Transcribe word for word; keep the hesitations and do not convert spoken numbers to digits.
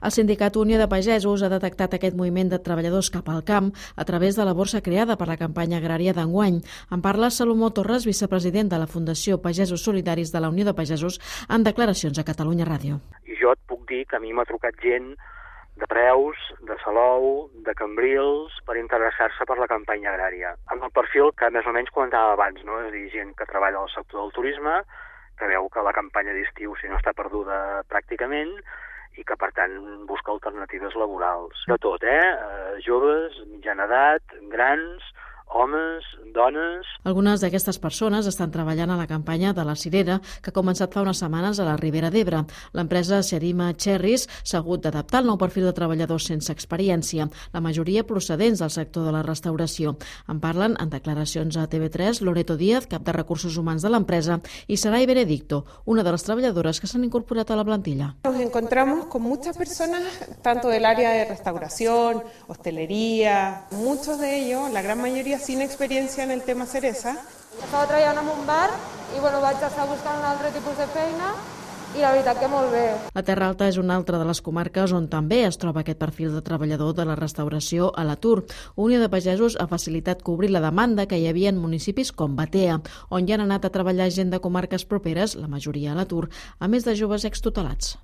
El sindicat Unió de Pagesos ha detectat aquest moviment de treballadors cap al camp a través de la borsa creada per la campanya agrària d'enguany. En parla Salomó Torres, vicepresident de la Fundació Pagesos Solidaris de la Unió de Pagesos, en declaracions a Catalunya Ràdio. I jo et puc dir que a mi m'ha trucat gent de Preus, de Salou, de Cambrils, per interessar-se per la campanya agrària. Amb el perfil que més o menys comentava abans, no? És a dir, gent que treballa al sector del turisme, que veu que la campanya d'estiu si no està perduda pràcticament i que, per tant, busca alternatives laborals. De tot, eh? eh joves, mitjana edat, grans, homes, dones... Algunes d'aquestes persones estan treballant a la campanya de la cirera, que ha començat fa unes setmanes a la Ribera d'Ebre. L'empresa Serima Cherries s'ha hagut d'adaptar al nou perfil de treballadors sense experiència, la majoria procedents del sector de la restauració. En parlen en declaracions a T V tres Loreto Díaz, cap de recursos humans de l'empresa, i Saray Benedicto, una de les treballadores que s'han incorporat a la plantilla. Nos encontramos con muchas personas, tanto del área de restauración, hostelería, muchos de ellos, la gran mayoría sin experiencia en el tema ceresa. Estava treballant en un bar i bueno, vaig estar buscant un altre tipus de feina i la veritat que molt bé. La Terra Alta és una altra de les comarques on també es troba aquest perfil de treballador de la restauració a l'atur. Unió de Pagesos ha facilitat cobrir la demanda que hi havia en municipis com Batea, on hi han anat a treballar gent de comarques properes, la majoria a l'atur, a més de joves extutelats.